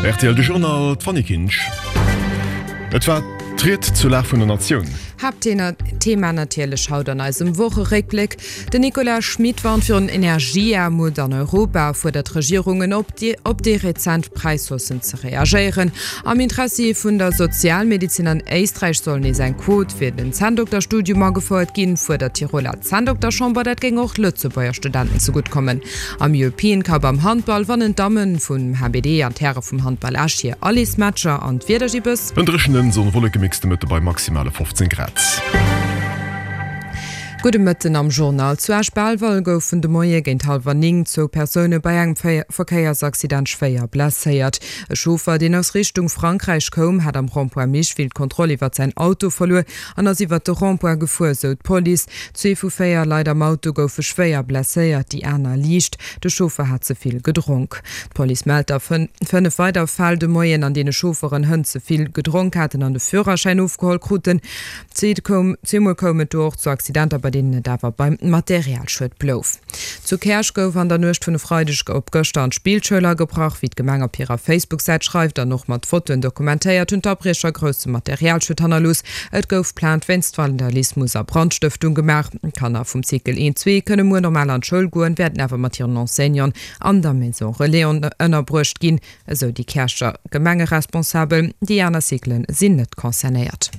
Rtl De Journal, d'Fanny Kinsch. Et war d'Ried zur Lag vun der Natioun. Haaptthema natierlech haut an eisem Wocheréckbléck, Den Nicolas Schmit warnt virun Energieaarmut an Europa a fuerdert d'Regierungen op, op déi rezent Präishaussen ze reagéieren. Am Interessi vun der Sozialmedezin an Éisträich soll nees eng Quot fir den Zänndokterstudium agefouert ginn, fuerdert d'Tiroler Zänndokterchamber. Dat géing och Lëtzebuerger Studenten zegutt kommen. Am European Cup am Handball wannen d'Dammen vum HBD an d'Häre vum Handball Esch hir Allesmatcher an d'Wieder gi bës. En dréchenen, Sonn-Wolleke-Mix de Mëtte bei maximale 15 Grad. Gudde Mëtten am Journal. Zu Esch-Belval goufen de Moie géint hallwer 9 zwou Persoune bei engem Verkéiersaccident schwéier blesséiert. E Chauffer, deen aus Richtung Frankräich koum, hat am Rond-point Micheville d'Kontroll iwwert säin Auto verluer an ass iwwert de Rond-point gefuer, sou d'Police. Zwee vu 4 Leit am Auto goufe schwéier blesséiert, déi aner liicht. De Chauffer hat ze vill gedronk. D'Police mellt der 5 weider Fäll de Moien, an deene Chaufferen Hënt ze vill gedronk haten an de Führerschäin ofgeholl kruten. Zweemol koum et do och zu Accidenter, bei deenen et awer beim Materialschued blouf. Zu Käerch gouf an der Nuecht vun e Freideg op gëschter an d'Spillschoul agebrach. Wéi d'Gemeng op hirer Facebook-Säit schreift an och mat Fotoen dokumentéiert, hunn d'Abriecher grousse Materialschued hannerlooss. Et gouf Plainte wéinst Vandalismus a Brandstëftung gemaach. D'Kanner vum Cycle 1, 2 kënne muer normal an d'Schoul goen, wäerten awer mat hiren Enseignanten an der Maison Relais ënnerbruecht ginn. Esou déi Käercher Gemengeresponsabel. Déi aner Cyclen sinn net concernéiert.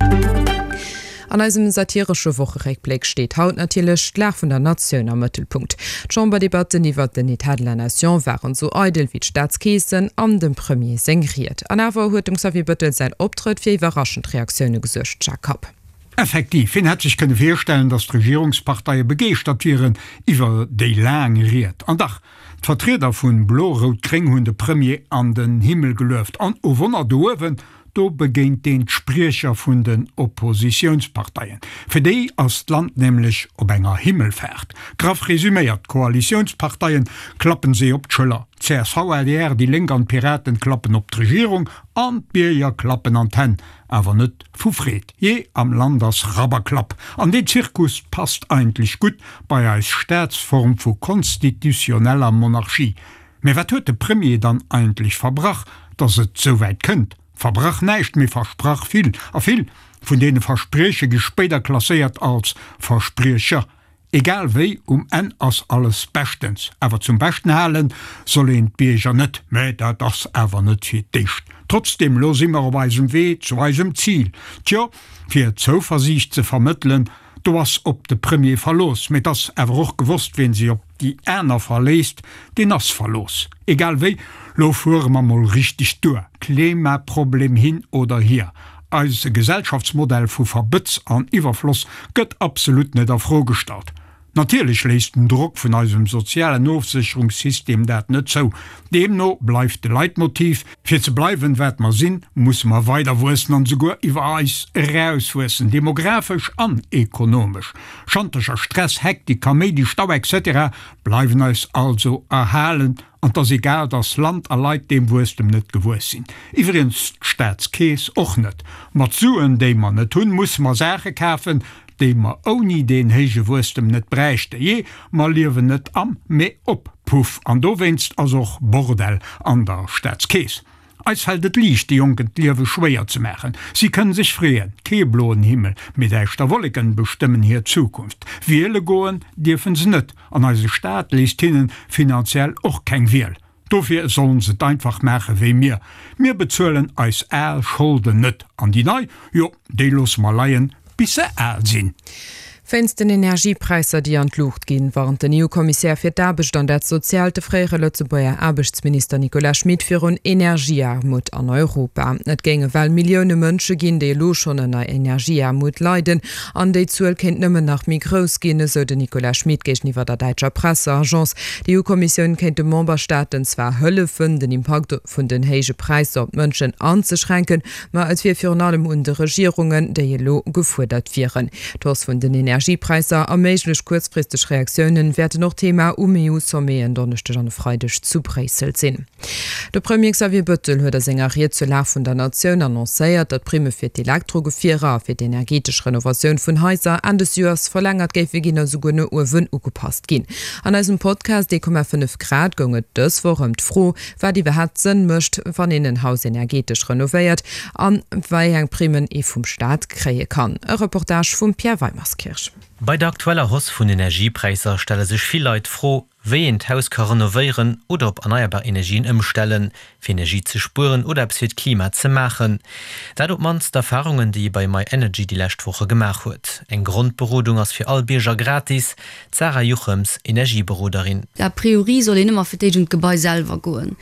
An eisem satiresche Wocheréckbléck steet haut natierlech d'Lag vun der Natioun am Mëttelpunkt. D'Chamberdebatten iwwert den Etat de la Nation waren esou eidel wéi d'Staatskeesen an dem Premier seng Ried. An awer huet dem Xavier Bëttel säin Optrëtt fir iwwerraschend Reaktioune gesuergt. Jacques Kapp. Effektiv, wien hätt sech kënne virstellen, datt d'Regierungsparteie begeeschtert wieren iwwer déi laang Ried? An dach, D'Vertrieder vun Blo-Rout-Gréng hunn de Premier an den Himmel gelueft. An, oh Wonner, do uewen, do begéint een d'Spriecher vun den Oppositiounsparteien. Fir déi ass d'Land nämlech op enger Himmelfaart. Graff resuméiert, d'Koalitiounsparteien klappen si op d'Schëller, csv, adr, déi Lénk an d'Piraten klappen op d'Regierung an d'Bierger klappen an d'Hänn, awer net vu Freed. Jee, am Land ass Rabberklapp. An deen Zirkus passt eigentlech gutt bei eis Staatsform vu konstitutioneller Monarchie. Mä wat huet de Premier dann eigentlech verbrach, datt et sou wäit kënnt? Verbrach näischt, mee versprach vill. A vill vun deene Versprieche gi spéider klasséiert als Verspriecher. Egal wéi, um Enn ass alles beschtens. Awer zum Beschten halen soll een d'Bierger net. Mä dat ass awer net fir d'éischt. Trotzdem, lo si mer op eisem Wee zu eisem Zil. Tjo, fir Zouversiicht ze vermëttelen, do ass op de Premier Verlooss. Mee et ass awer och gewosst, wien sech op déi aner verléisst, deen ass verlooss. Egal wéi, lo fuere mer mol richteg duer. Klimaproblem hin oder hier, Eise Gesellschaftsmodell vu Verbëtz an Iwwerfloss gëtt absolut net a Fro gestallt. Natierlech léisst den Drock vun eisem sozialen Ofsécherungssystem dat net zou. Deemno bleift de Leitmotiv, Fir ze bleiwen, wat mer sinn, musse mer weider wuessen an esouguer iwwer eis erauswuessen, demografesch an ekonomesch. Schantercher, Stress, Hektik, Kaméidi, Stau etc. Bleiwen eis also erhalen. An 't ass egal, dass Land a Leit deem Wuesstem net gewuess sinn. Iwwregens d'Staatskeess och net. Mat Suen, déi mer net hunn, musse mer Saache kafen, déi mer ouni deen héije Wuesstem net bräichten. Jee, mer liewen net am, mee op Puff. An dowéinst ass och Bordell an der Staatskeess. Eis fält et liicht, de Jonken d'Liewe schwéier ze maachen. Si kënnen sech freeën, kee bloen Himmel, mee däischter Wolleken bestëmmen hir Zukunft. Wiele goen dierfen se net, an eise Staat léisst hinnen finanziell och keng Wiel. Dofir sollen se et einfach maache wéi mir, Mir bezuelen eis al Scholden net, an déi nei, jo, déi loosse mer leien, bis se al sinn. Wéinst den Energiepräisser, déi an d'Luucht ginn, warnt den EU-Kommissär fir d'Aarbecht an dat Soziaalt, de fréiere Lëtzebuerger Aarbechtsminister Nicolas Schmit, virun Energieaarmut an Europa. Et géinge well Millioune Mënsche ginn, déi elo schonn ënner Energieaarmut leiden, an déi Zuel kéint nëmmen nach méi grouss ginn, esou den Nicolas Schmit géigeniwwer der däitscher Presseagence. D'EU-Kommissioun kéint de Memberstaaten zwar hëllefen, den Impakt vun den héije Präisser op d'Mënschen anzeschränken, Ma et wier virun allem un de Regierungen, déi elo gefuerdert wieren. D'Hausse vun den. Energiepräisser a méiglech kuerzfristeg Reaktiounen wäerten och Thema um EU-Sommet en Donneschdeg an e Freideg zu Bréissel sinn. De Premier Xavier Bettel huet a senger Ried zur Lag vun der Natioun annoncéiert, datt d'Primme fir d'Elektrogefierer a fir d'energetesch Renovatioun vun Haiser Enn des Joers verlängert géife ginn a souguer no uewen ugepasst ginn. An eisem Podcast 1,5 Grad goung et dës Woch ëm d'Fro, wat iwwerhaapt Sënn mécht, wann een en Haus energetesch renovéiert an wei eng Primmen ee vum Staat kréie kann. E Reportage vum Pierre Weimerskirch. Bei der aktueller Hausse vun Energiepräisser stelle sech vill Leit d'Fro, wéi een d'Haus ka renovéieren oder op erneierbar Energien ëmstellen, fir Energie ze spueren oder eppes fir d'Klima ze maachen. Dat op d'mannst d'Erfarungen, déi ee bei myenergy déi lescht Woche gemaach huet. Eng Grondberodung ass fir all Bierger gratis. D'Sarah Juchems, Energieberoderin. A priori soll een ëmmer fir d'éischt un d'Gebai selwer goen,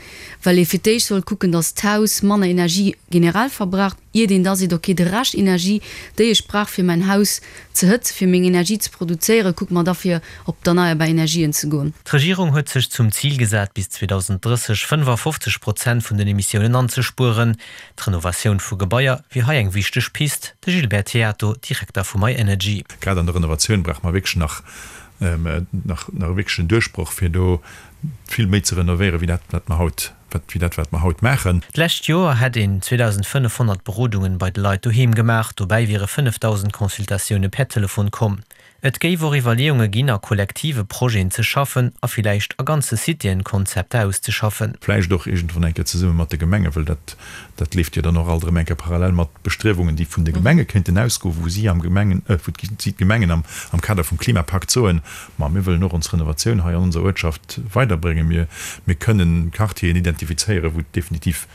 well ee fir d'éischt soll kucken, datt d'Haus manner Energie generell verbraucht, iert een da seet, ok, de Rescht Energie, déi ech brauch fir mäin Haus ze hëtzen, fir meng Energie ze produzéieren, kucke mer da fir op d'erneierbar Energien ze goen. D'Regierung huet sech zum Zil gesat, bis 2030 55 Prozent vun den Emissiounen anzespueren. D'Renovatioun vu Gebaier wier hei eng wichteg Pist. De Gilbert Theato, Direkter vu myenergy. Grad an der Renovatioun brauche mer wierklech nach nach e wierklechen Duerchbroch, fir do vill méi ze renovéieren, wéi dat, wat mer haut wéi dat wat mer haut maachen. D'lescht Joer hätt een 2.500 Berodungen bei de Leit doheem gemaach, dobäi wiere 5.000 Consultatioune per Telefon komm. Et géif och Iwwerleeunge ginn, a kollektive Projeten ze schaffen a villäicht a ganze Citéen Konzepter auszeschaffen. Vläicht och iergendwann eng Kéier zesumme mat de Gemengen, well dat, dat leeft jo dann och alt erëm eng Kéier parallel mat Bestriewungen, déi vun de Gemenge kéinten ausgoen, wou si am Gemengen, wou si d'Gemengen am, am Kader vum Klimapakt soen, Ma mir wëllen och ons Renovatioun hei an onser Uertschaft weiderbréngen. Mir, mir kënnen Quartieren identifizéieren, wou et definitiv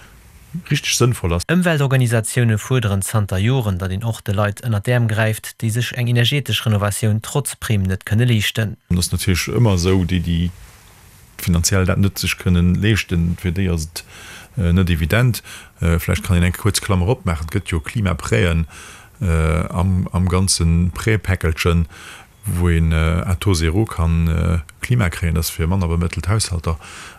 richteg sënnvoll ass. Ëmweltorganisatioune fuerderen zanter Joren, datt een och de Leit ënnert d'Äerm gräift, déi sech eng energetesch Renovatioun trotz Primm net kënne leeschten. Et ass natierlech ëmmer esou, déi, déi finanziell dat net sech kënnen leeschten, fir déi ass et net evident. Vläicht kann een eng kuerz Klammer opmaachen, Et gëtt jo Klimaprêten am, am ganze Prêtpäckelchen, wou een à taux zéro kann Klima kréien, dat ass fir manner bemëttelt Haushalter,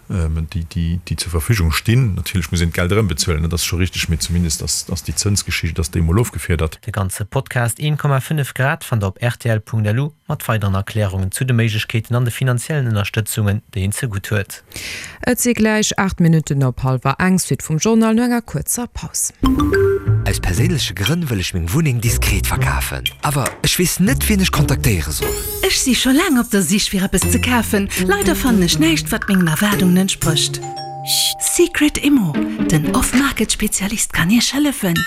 déi déi zur Verfügung stinn. Natierlech muss een d'Geld erëmbezuelen, dat ass scho richteg, mee zumindest ass ass déi Zënsgeschicht ass déi emol ofgefiedert. De ganze Podcast 1,5 Grad fannt der op rtl.lu mat weideren Erklärungen zu de Méiglechkeeten an de finanziellen Ënnerstëtzungen, déi een zegutt huet. Et si gläich 8 Minutten op hallwer eng. Suite vum Journal no enger kuerzer Paus. Aus perséinleche Grënn wëll ech meng Wunneng diskret verkafen, awer ech weess net wien ech kontaktéiere soll. Ech si scho laang op der Sich fir eppes ze kafen, leider fannen ech näischt wat mengen Erwaardungen entsprécht. Secret Immo, den Off-Market Spezialist kann Iech hëllefen.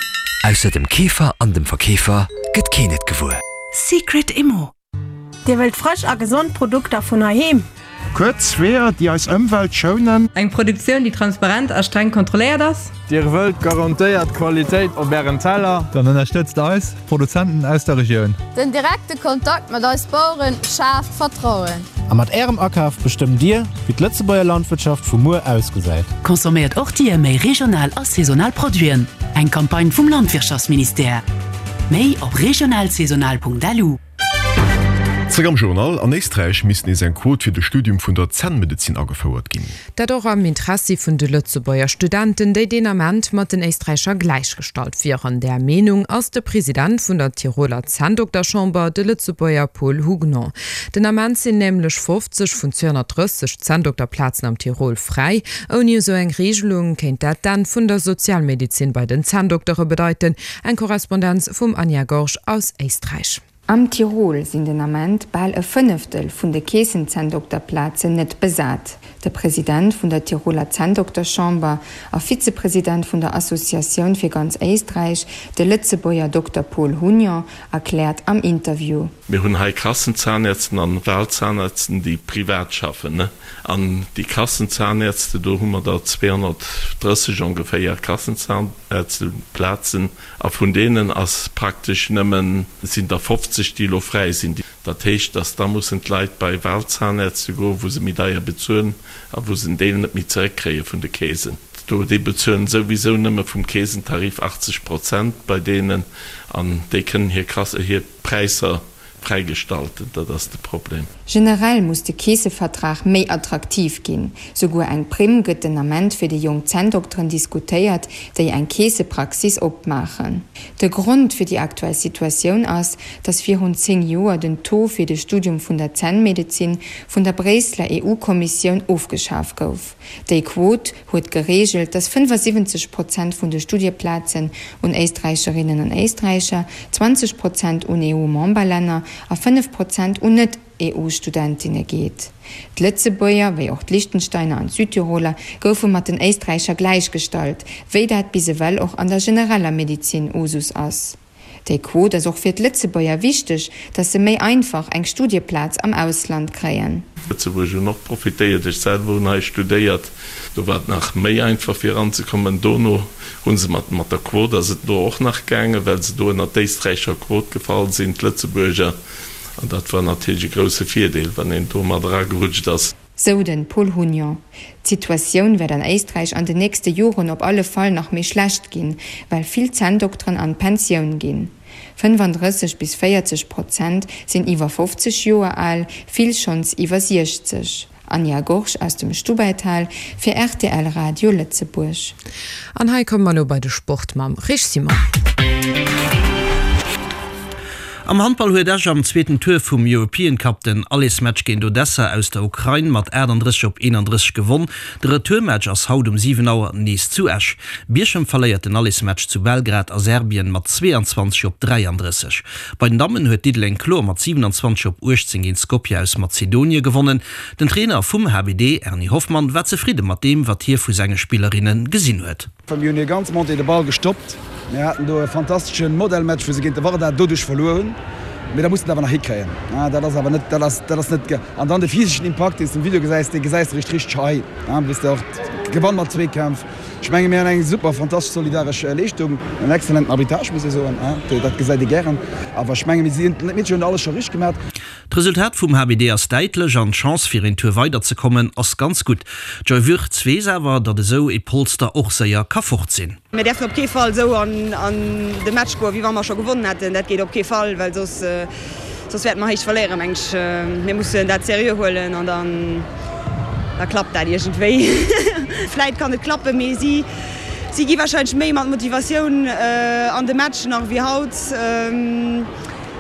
Ausser dem Keefer an dem Verkeefer gëtt keen et gewuer. Secret Immo. Dir wëllt frësch a gesond Produkter vun heiheem? Kuerz Weeër, déi eis Ëmwelt schounen. Eng Produktioun, déi transparent a streng kontrolléiert ass? Dir wëllt garantéiert Qualitéit op Ärem Teller? Dann ënnerstëtzt eis Produzenten aus der Regioun. Den direkte Kontakt mat eis Baueren schaaft Vertrauen. A mat Ärem Akaf bestëmmt Dir, wéi d'Lëtzebuerger Landwirtschaft vu muer ausgesäit. Consomméiert och Dir méi regional a saisonal Produiten. Eng Campagne vum Landwirtschaftsministère. Méi op regionalsaisonal.lu. Zréck am Journal, An Éisträich misst nees eng Quot fir de Studium vun der Zännmedezin agefouert ginn. Dat och am Interessi vun de Lëtzebuerger Studenten, déi deen Ament mat den Éisträicher gläichgestallt wieren. Där Meenung ass de President vun der Tiroler Zänndokterchamber, de Lëtzebuerger Paul Hugnon. Den Ament sinn nämlech 50 vun 230 Zänndokterplazen am Tirol fräi. Ouni esou eng Regelung kéint dat d'Enn vun der Sozialmedezin bei den Zänndoktere bedeiten. Eng Korrespondenz vum Anja Gorge aus Éisträich. Am Tirol sinn den Ament bal e Fënneftel vun de Keessenzänndokterplazen net besat. De President vun der Tiroler Zänndokterchamber a Vizepresident vun der Associatioun fir ganz Éisträich, de Lëtzebuerger Dokter Paul Hugnon, erkläert am Interview. Mir hunn hei Kassenzahnärzten an Wahlzahnärzten, déi privat schaffen. An déi Kassenzahnärzte, do hu mer der 230 ongeféier Kassenzahnärzteplazen. A vun deenen ass praktesch nëmmen, sinn der 50, déi elo fräi sinn. Dat heescht, dass da mussen d'Leit bei Wahlzahnärzte goen, wou se méi deier bezuelen a wou se en Deel net méi zeréckkréie vun de Keesen. Do, déi bezuelen souwisou nëmme vum Keesentarif 80 Prozent bei deenen an déi kënnen hir Kasse, hir Präisser. Fräigestalten, dat ass de Problem. Generell muss de Keesevertrag méi attraktiv ginn. Souguer eng Primm gëtt den Ament fir déi jonk Zänndokteren diskutéiert, déi eng Keesepraxis opmaachen. De Grond fir déi aktuell Situatioun ass, datt virun 10 Joer den Taux fir de Studium vun der Zännmedezin vun der Bréisseler EU-Kommissioun ofgeschaf gouf. Déi Quot huet gereegelt, datt 75 Prozent vun de Studieplazen un Éisträicherinnen an Éisträicher, 20 Prozent un EU-Memberlänner a 5 Prozent un Net-EU-Studentinne geet. D'Lëtzebuerger, wéi och d'Liechtensteiner an d'Südtiroler goufe mat den Éisträicher gläichgestallt, wéi dat bis ewell och an der genereller Medezin Usus ass. Déi Quot ass och fir d'Lëtzebuerger wichteg, datt se méi einfach eng Studieplaz am Ausland kréien. Lëtzebuerg hunn och profitéiert. Ech selwer hunn hei studéiert. Do war et nach méi einfach fir eranzekommen. Dono hu se mat mat der Quot ass et do och nach gaangen, well se do ënner d'éisträicher Quot gefall sinn, d'Lëtzebuerger. An dat war natierlech e grousse Virdeel, wann een do mat eragerutscht ass. Sou den Paul Hugnon. D'Situatioun wäert an Éisträich an den nächste Joren op alle Fall nach méi schlecht ginn, well vill Zänndokteren an d'Pensioun ginn. 35 bis 40 Prozent sinn iwwer 50 Joer al, vill schonns iwwer 60. Anja Gorge aus dem Stubaital fir rtl Radio Lëtzebuerg. An hei komme mer elo bei de Sport mam Rich Simon. Am Handball huet Esch am zweeten Tour vum European Cup den Allersmatch géint Odessa aus der Ukrain mat 38 op 31 gewonn. De Retourmatch ass haut um 7 Auer nees zu Esch. Bierchem verléiert den Allersmatch zu Belgrad a Serbien mat 22 op 33. Bei den Dammen huet Diddeleng kloer mat 27 op 18 géint Skopje aus Mazedonie gewonnen. Den Trainer vum HBD, Erny Hoffmann, war zefridde mat deem, wat hie vu senge Spillerinne gesinn huet. Mir hunn hir ganz Montée de Ball gestoppt. Mir haten do e fantastesche Modellmatch, wou se géint de Vardar doduerch verluer hunn. Mee da muss de et awer nach hikréien. Dat ass awer net, dat ass, dat ass net ge. An dann de physeschen Impakt, deen s de um Video gesäis, dee gesäis de richteg richteg hei, wou s de och gewann mat Zweekämpf. Ech menge mir hunn eng super fantastesch solidaresch Leeschtung, en exzellenten Arbitrage, muss ee soen, dat gesäit ee gären. Awer ech menge mir sinn, d'Meedchen hunn alles scho richteg gemaach. D'Resultat vum HBD ass däitlech an d'Chance fir een Tour weider ze kommen ass ganz gutt. D'Joy Würtz weess awer, datt esou ee Polster och séier ka fort sinn. Mir däerfen op kee Fall esou an de Match goen, wéi wa mer scho gewonnen hätten. Dat geet op kee Fall, well soss soss wäerte mer héich verléieren, meng ech. Mir mussen dat seriö huelen an dann da klappt dat iergendwéi. Vläit kann et klappen, mee si si gi warscheinlech méi mat Motivatioun an de Match nach ewéi haut.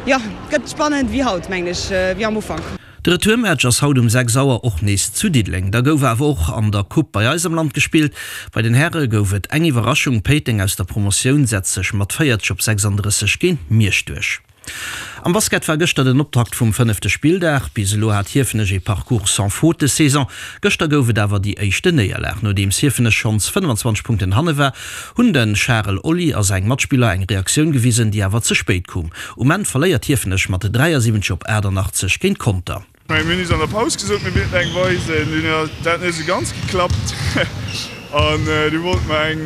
Jo, gëtt spannend wéi haut, mengen ech, wéi am Ufank. De Retourmatch ass haut um 6 Auer och nees zu Diddeleng. Da gouf awer och an der Coupe bei eis am Land gespillt. Bei den Häre gouf et eng Iwwerraschung, Péiteng aus der Promotioun setzt sech mat 40 op 36 géint Miersch duerch. Am Basket war gëschter den Optakt vum fënnefte Spilldag. Bis elo hat Hiefenech ee Parcours sans faute des Saison. Gëschter gouf et awer déi éischte Néierlag. Nodeems Hiefenech schonns 25 Punkten hanne war, hunn de Charel Olli a seng Matspiller eng Reaktioun gewisen, déi awer ze spéit koum. Um Enn verléiert Hiefenech mat 73 op 88 géint Conter. Mir hunn is an der Paus gesot, mir wéilten eng weisen. Dunn huet dat net esou ganz geklappt an du wollte mer eng,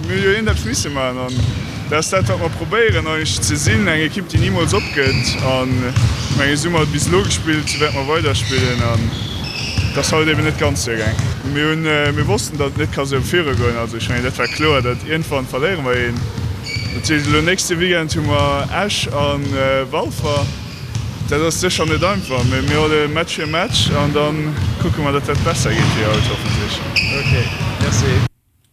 mir hu jo iergendeppes misse maachen an dat ass dat, wat mer probéieren eigentlech ze sinn, eng Ekipp, déi nimools opgëtt. An ech mengen, esou hu mer bis elo gespillt, esou wäerte mer weiderspillen an et ass haut eben net ganz duergaang. Mir hunn, mir wossten, datt et net ka sou virugoen. Also ech mengen, dat war kloer, datt iergendwann verléiere mer een. Dat heescht elo nächste Weekend hu mer Esch a Walfer. Dat ass sécher net einfach, mee mir huele Match fir Match an da kucke mer, datt dat besser geet wéi haut, hoffentlech. Ok, merci.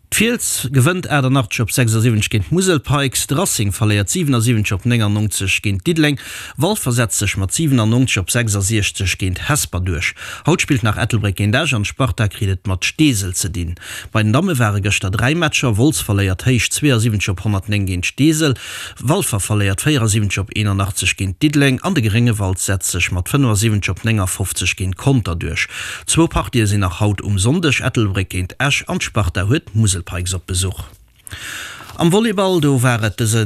D'Fiels gewënnt 88 op 76 géint d'Musel Pikes, de Racing verléiert 77 op 99 géint Diddeleng, Walfer setzt sech mat 97 op 66 géint Hesper duerch. Haut spillt nach Ettelbréck géint Esch an d'Sparta kritt et mat Steesel ze dinn. Bei den Damme ware gëschter 3 Matcher, Wolz verléiert héich 72 op 109 géint Steesel, Walfer verléiert 74 op 81 géint Diddeleng an de Gréngewald setzt sech mat 75 op 59 géint Conter duerch. Zwou Partië sinn nach haut um Sonndeg, Ettelbréck géint Esch an d'Sparta huet d'Musel Pikes op Besuch. Am Volleyball, do war et dëse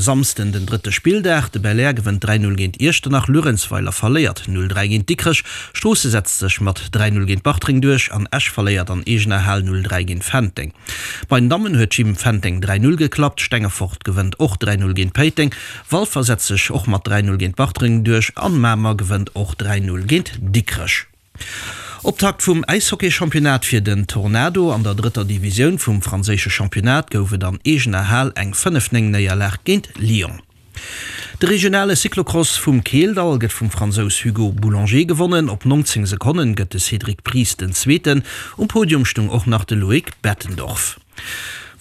Samsden den drëtte Spilldag. De Belair gewënnt 3, 0 géint Iechternach, Luerenzweiler verléiert 0, 3 géint Dikrech, Stroosse setzt sech mat 3, 0 géint Bartreng duerch an Esch verléiert an eegener Hal 0, 3 géint Fenteng. Bei den Dammen huet Gym Fenteng 3, 0 geklappt, Stengefort gewënnt och 3, 0 géint Péiteng, Walfer setzt sech och mat 3, 0 géint Bartreng duerch an Mamer gewënnt och 3, 0 géint Dikrech. Optakt vum Äishockey-Championnat fir den Tornado. An der drëtter Divisioun vum franséische Championnat gouf et an eegener Hal eng 5, 9 Néierlag géint Lyon. De regionale Cyclocross vum Keeldall gëtt vum Fransous Hugo Boulanger gewonnen. Op 19 Sekonnen gëtt de Cédric Pries den Zweeten. Um Podium stung och nach de Loïc Bettendorf.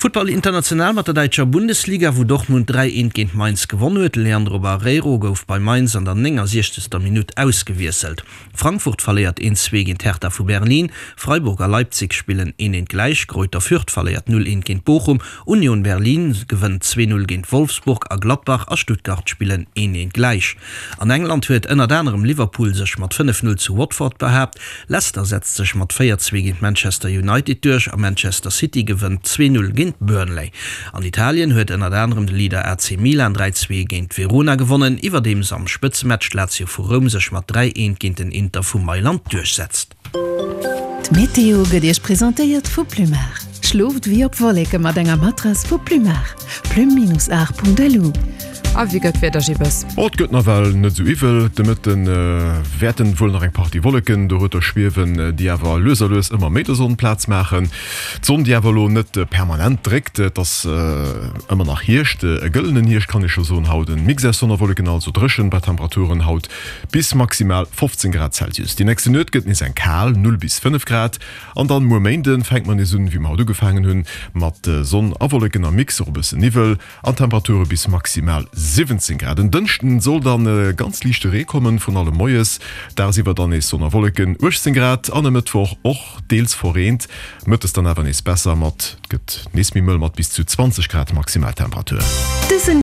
Futtball international mat der däitscher Bundesliga, wou Dortmund 3, 1 géint Mainz gewonn huet. De Leandro Barreiro gouf bei Mainz an der 69. Minutt ausgewiesselt. Frankfurt verléiert 1, 2 géint Hertha vu Berlin, Freiburg a Leipzig spillen 1, 1 gläich, Greuther Fürth verléiert 0, 1 géint Bochum, Union Berlin gewënnt 2, 0 géint Wolfsburg a Gladbach a Stuttgart spillen 1, 1 gläich. An England huet ënnert anerem Liverpool sech mat 5, 0 zu Watford behaapt, Leicester setzt sech mat 4, 2 géint Manchester United duerch a Manchester City gewënnt 2, 0 géint Burnley. An Italien huet ënnert anerem de Leader AC Milan 3, 2 géint Verona gewonnen, iwwerdeems am Spëtzematch d'Lazio vu Roum sech mat 3, 1 géint den Inter vu Mailand duerchsetzt. D'Meteo gëtt Iech presentéiert vu Plumar. Schlooft wéi op Wolleke mat enger Matrass vu Plumar. Plume-art.lu. A wéi gëtt d'Wieder, Gibbes? Oh, et gëtt nawell net esou iwwel. De Mëtte wäerten wuel nach eng Partie Wolleken dorueter schwiewen, déi awer lues a lues ëmmer méi der Sonn Plaz maachen. D'Sonn, déi awer elo net permanent dréckt. Et ass ëmmer nach Hierscht, e gëllenen Hierscht kann ee scho soen haut. En Mix aus Sonn a Wolleken, also dréchen, bei Temperaturen haut bis maximal 15 Grad Celsius. Déi nächste Nuet gëtt nees eng kal, 0 bis 5 Grad. An dann muer Méinden fänkt mer nees un, wéi mer haut ugefaangen hunn, mat Sonn a Wolleken am Mix, och e bëssen Niwwel an Temperature bis maximal 17 Grad. En Dënschden soll dann e ganz liichte Ree kommen, vrun allem moies, dagsiwwer dann nees Sonn a Wolleken, 18 Grad. An e Mëttwoch och deels verreent, mëttes dann awer nees besser mat, et gëtt nees méi mëll mat bis zu 20 Grad Maximaltemperatur. Dësen.